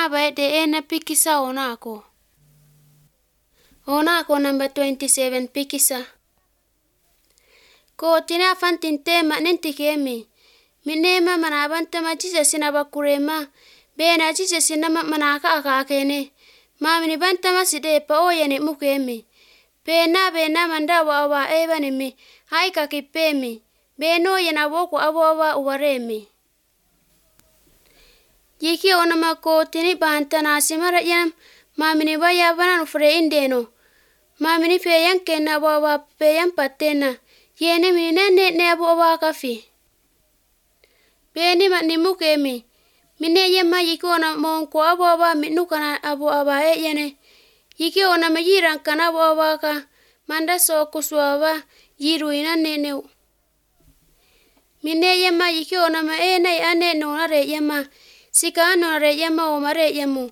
Naba de ena pikisa onako. Onako number 27 pikisa. Ko tina fantin tema nenti kemi. Minema manabantama Jesus nabakurema. Bena Jesus nama manaka akakene. Mamini bantama sidepa oyene mukemi. Bena mandawa awa ebanemi. Haika kipemi. Beno yena woko awa uwaremi. Yiki onama ko tini bantana simara yanam. Mamini baya banan ufre indeno. Mamini feyan kena wawa feyan patena. Yene mini ne abu awa kafi. Beni matni mukemi. Mine yema yiki ona monko abu awa minukana abu awa yene. Yiki ona majiran kana abu awa ka. Manda so kuswawa yiru ina neneu. Mine yema yiki ona ma ane nonare yema. Sika nonare yema omare yemu.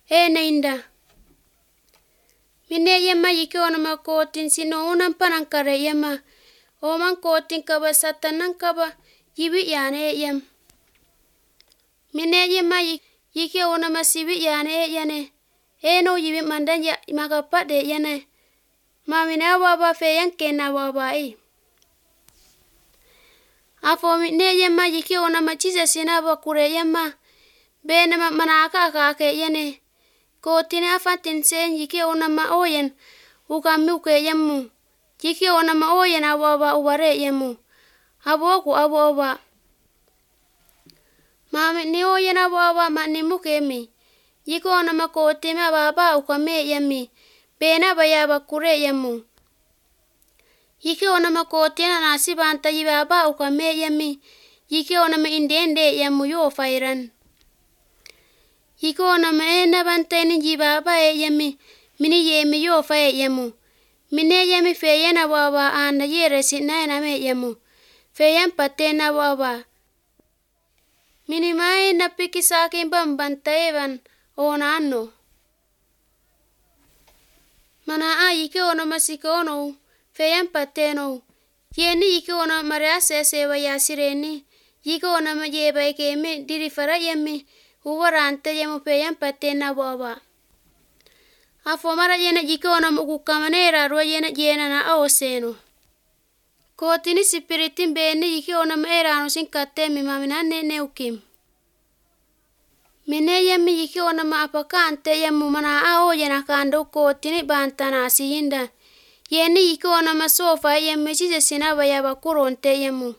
Inda. Mine yema yiki ona ma kotin sino unan panankare yema. Oman kotin kaba satanan kaba yibi yane yem. Mine yema yiki ona ma sibi yane yane. Eno yibi mandan ya magapade yane. Mamine awa feyan kena wawa Afo mine yema yiki ona ma Jesus inaba kure yema. Bena manaka akake yane. Kotin afatin sen yiki ona ma oyen. Ukamuke yemu. Yiki ona ma oyen awa uware yemu. Aboku awa. Mami ni oyen awa mani mukemi. Yiki ona ma kotin baba ukame yemi. Bena baya kure yemu. Yiki ona ma kotin nasi banta baba ukame yemi. Yiki ona ma indende yemu yo fairan. Yiki ona ma ena banta ni baba yemi. Mini yemi yo fai yemu. Mine yemi feyena wawa anda yere sinayana me yemu. Feyen patena wawa. Mini mai na pikisakin bambanta evan ona ano. Mana yiki ona masika ono. Feyen pateno. Yeni yiki ona marease sewa yasireni. Yiki ona ma yeba ekeme dirifara yemi. Uwarante yemu feyen patena wawa. Afo mara yena yiki ona mukukamanera ruwa yena na oseno. Kotini spiritin beni yiki ona maerano sinkatemi mamina nene ukim. Mine yemi yiki ona ma apakante yemu mana yena kando kotini bantana siyinda. Yeni yiki ona ma sofa yemi Jesus inaba yaba kuronte yemu.